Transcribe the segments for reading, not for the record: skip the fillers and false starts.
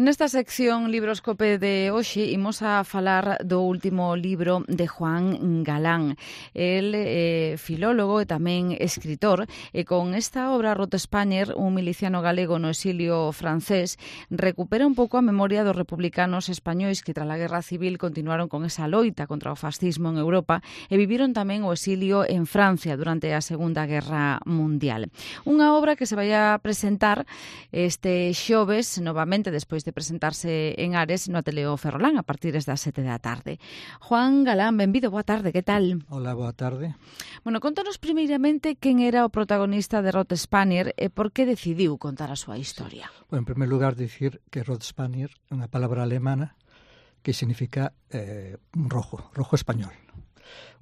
Nesta sección Libroscope de hoxe imos a falar do último libro de Juan Galán. El filólogo e tamén escritor, e con esta obra Rot Spanier, un miliciano galego no exilio francés, recupera un pouco a memoria dos republicanos españois que tras a Guerra Civil continuaron con esa loita contra o fascismo en Europa e viviron tamén o exilio en Francia durante a Segunda Guerra Mundial. Unha obra que se vai a presentar este xoves, novamente, despois de presentarse en Ares no Ateneo Ferrolán a partir das 7 da tarde. Juan Galán, benvido, boa tarde, que tal? Hola, boa tarde. Bueno, contanos primeiramente quen era o protagonista de Rot Spanier e por que decidiu contar a súa historia. Bueno, en primer lugar, dicir que Rot Spanier é unha palabra alemana que significa rojo español.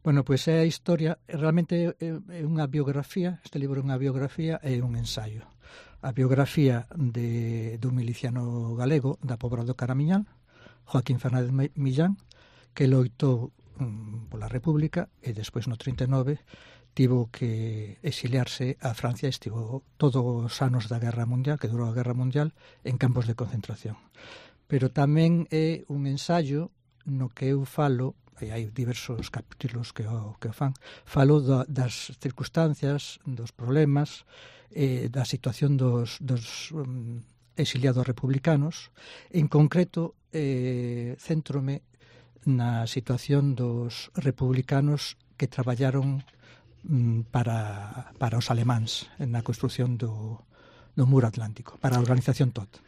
Bueno, pois é a historia, realmente é unha biografía, este libro é unha biografía e un ensaio. A biografía dun miliciano galego da Pobra do Caramiñal, Joaquín Fernández Millán, que loitou pola República e despois no 39 tivo que exiliarse a Francia e estivo todos os anos da Guerra Mundial, que durou a Guerra Mundial, en campos de concentración. Pero tamén é un ensaio no que eu falo, e hai diversos capítulos que o fan, falo das circunstancias, dos problemas, da situación dos exiliados republicanos. En concreto, céntrome na situación dos republicanos que traballaron para os alemáns na construción do muro atlántico, para a organización TOT.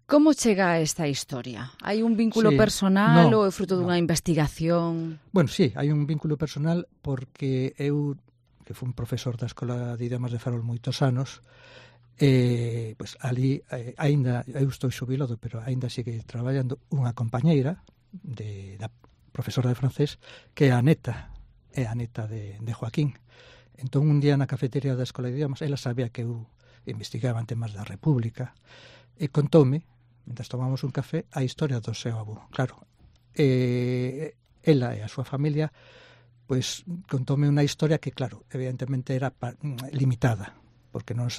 Como chega a esta historia? Hai un vínculo personal ou é fruto dunha investigación? Bueno, sí, hai un vínculo personal porque eu, que fui un profesor da Escola de Idiomas de Ferrol moitos anos, pois ali, aínda, eu estou xubilado, pero aínda sigue traballando unha compañeira da profesora de francés, que é a neta de Joaquín. Entón, un día na cafetería da Escola de Idiomas, ela sabía que eu investigaba en temas da República, e contoume, mentre tomamos un café, a historia do seu avó. Claro, ela e a súa familia pois contoume unha historia que, claro, evidentemente era limitada, porque non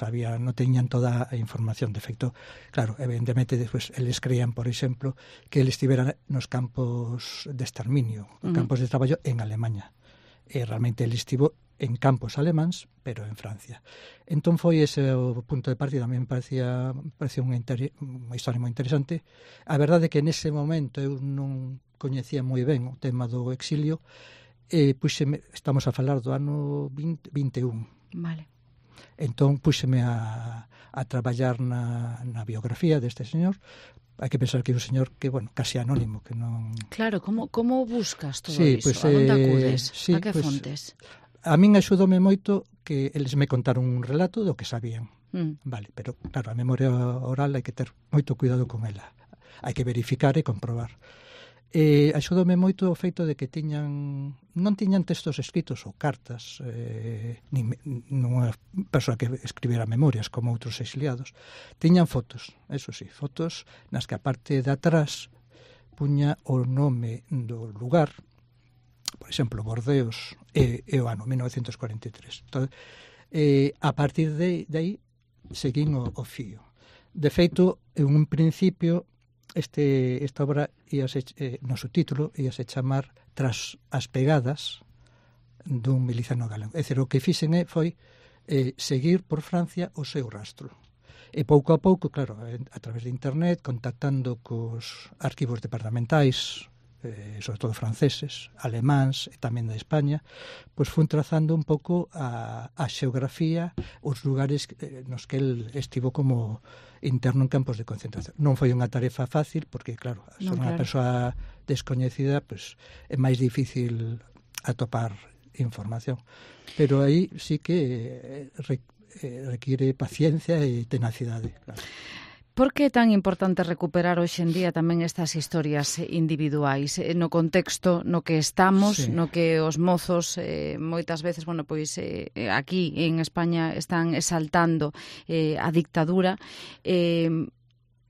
teñan toda a información. De feito, claro, evidentemente, despois, eles creían, por exemplo, que ele estivera nos campos de exterminio, campos de traballo en Alemanha. E realmente ele estivo en campos alemáns, pero en Francia. Entón foi ese o punto de partida. A mí me parecía unha historia moi interesante. A verdade é que nese momento eu non coñecía moi ben o tema do exilio, estamos a falar do ano 21. Vale. Entón, púxeme a traballar na biografía deste señor. Hai que pensar que é un señor que, bueno, casi anónimo, que non... Claro, como buscas todo iso? A onde acudes? A que fontes? A min axudoume moito que eles me contaron un relato do que sabían. Vale, pero, claro, a memoria oral hai que ter moito cuidado con ela. Hai que verificar e comprobar. Axudoume moito o feito de que non tiñan textos escritos ou cartas, nunha persoa que escribera memorias como outros exiliados. Tiñan fotos, eso sí, fotos nas que a parte de atrás puña o nome do lugar, por exemplo, Bordeos, e o ano 1943. Entón, a partir de aí seguín o fío. De feito, en un principio, esta obra no subtítulo íase chamar Tras as pegadas dun miliciano galego. É dicir, o que fixen foi seguir por Francia o seu rastro. E pouco a pouco, claro, a través de internet, contactando cos arquivos departamentais, sobre todo franceses, alemáns e tamén da España, pois fun trazando un pouco a xeografía, os lugares nos que el estivo como interno en campos de concentración. Non foi unha tarefa fácil, porque, claro, son unha persoa descoñecida, pois é máis difícil atopar información. Pero aí sí que require paciencia e tenacidade, claro. Por que é tan importante recuperar hoxe en día tamén estas historias individuais no contexto no que estamos, sí, no que os mozos moitas veces, bueno, pois aquí en España están exaltando a dictadura,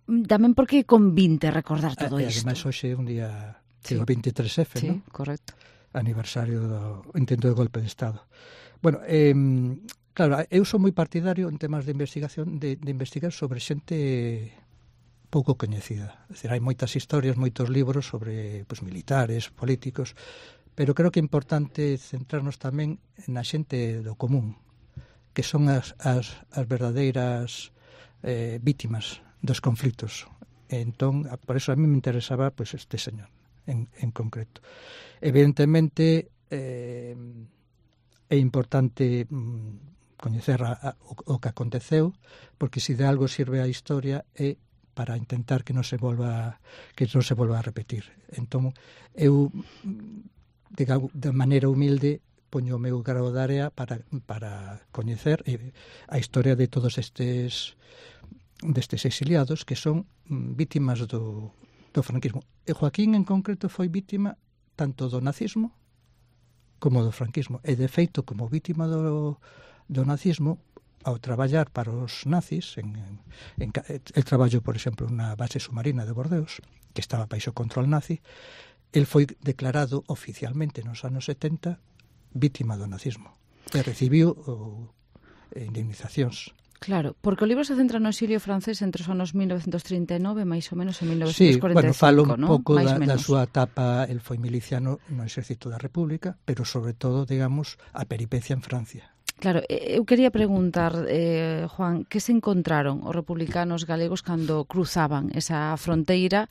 tamén porque convinte recordar todo isto. Ademais, hoxe é un día, sí, o 23F, sí, ¿no? Correcto. Aniversario do intento de golpe de Estado. Bueno, Claro, eu sou moi partidario en temas de investigación de investigar sobre xente pouco coñecida. É dicir, hai moitas historias, moitos libros sobre militares, políticos, pero creo que é importante centrarnos tamén na xente do común, que son as verdadeiras vítimas dos conflitos. Entón, por eso a mí me interesaba este señor en concreto. Evidentemente, é importante coñecer o que aconteceu, porque se de algo sirve a historia é para intentar que non se volva a repetir. Entón, eu de maneira humilde poño o meu grao de area para coñecer a historia de todos destes exiliados que son vítimas do franquismo. E Joaquín en concreto foi vítima tanto do nazismo como do franquismo. E de feito, como vítima do nazismo, ao traballar para os nazis, el traballou, por exemplo, na base submarina de Bordeos, que estaba baixo control nazi, el foi declarado oficialmente nos anos 70 vítima do nazismo. E recibiu indemnizacións. Claro, porque o libro se centra no exilio francés entre os anos 1939 máis ou menos e 1945, sí, bueno, falo un pouco da súa etapa. El foi miliciano no Exército da República, pero sobre todo, digamos, a peripecia en Francia. Claro, eu quería preguntar, Juan, que se encontraron os republicanos galegos cando cruzaban esa fronteira,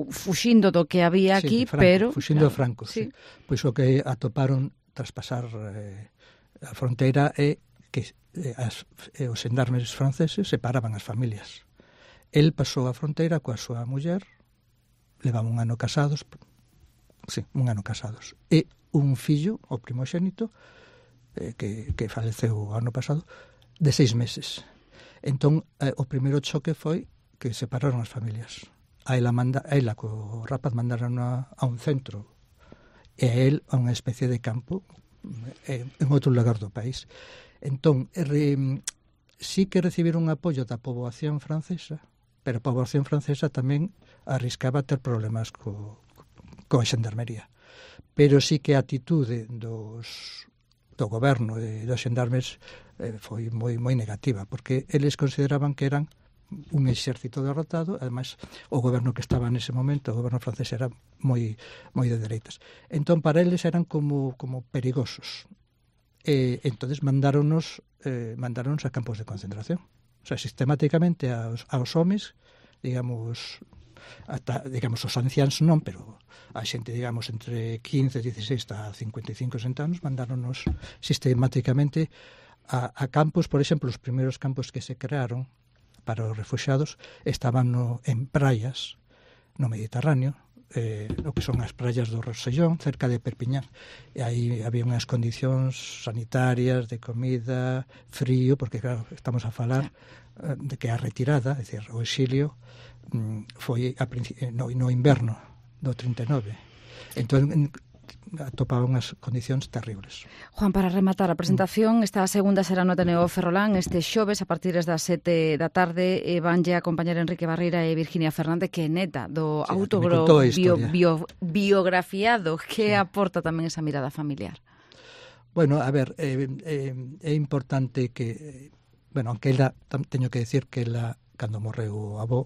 fuxindo do que había aquí, pero... Fuxindo do Franco, sí. Pois o que atoparon tras pasar a fronteira é que os xendarmes franceses separaban as familias. El pasou a fronteira coa súa muller, levaban un ano casados, e un fillo, o primogénito, que faleceu o ano pasado, de 6 meses. Entón, o primeiro choque foi que separaron as familias. A ela co rapaz mandaron a un centro e a el a unha especie de campo en outro lugar do país. Entón, sí que recibiron apoio da poboación francesa, pero a poboación francesa tamén arriscaba ter problemas coa xendarmería. Pero sí que a atitude do goberno e dos xendarmes foi moi negativa, porque eles consideraban que eran un exército derrotado. Ademais, o goberno que estaba nese momento, o goberno francés, era moi de dereitas. Entón, para eles eran como perigosos. Entonces mandáronos a campos de concentración. O sea, sistemáticamente aos homes, digamos os anciáns non, pero a xente, digamos, entre 15, 16 a 55, 60 anos, mandáronos sistemáticamente a campos. Por exemplo, os primeiros campos que se crearon para os refugiados estaban en praias no Mediterráneo, o que son as praias do Rosellón, cerca de Perpiñán. E aí había unhas condicións sanitarias, de comida, frío, porque claro, estamos a falar de que a retirada, é dicir, o exilio, foi no inverno do 39. Entón, atopaban as condicións terribles. Juan, para rematar a presentación, esta segunda será no Ateneo Ferrolán este xoves a partir das 7 da tarde, vanlle a acompañar Enrique Barreira e Virginia Fernández, que é neta do biografiado, que aporta tamén esa mirada familiar. Bueno, a ver, é importante que, aunque ela, teño que decir que ela, cando morreu o avó,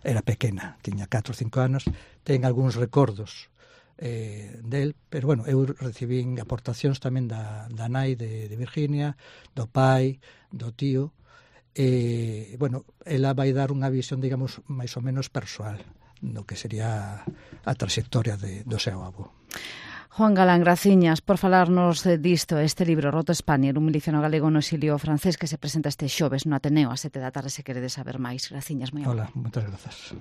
era pequena, tiña 4 ou 5 anos, ten algúns recordos del, pero eu recibín aportacións tamén da nai de Virginia, do pai, do tío, ela vai dar unha visión, digamos, máis ou menos persoal do que sería a trayectoria do seu avó. Juan Galán, graciñas por falarnos disto, este libro, Roto Spaniel, un miliciano galego no exilio francés, que se presenta este xoves no Ateneo a 7 da tarde, se queredes saber máis. Graciñas, moi amable. Hola, moitas grazas.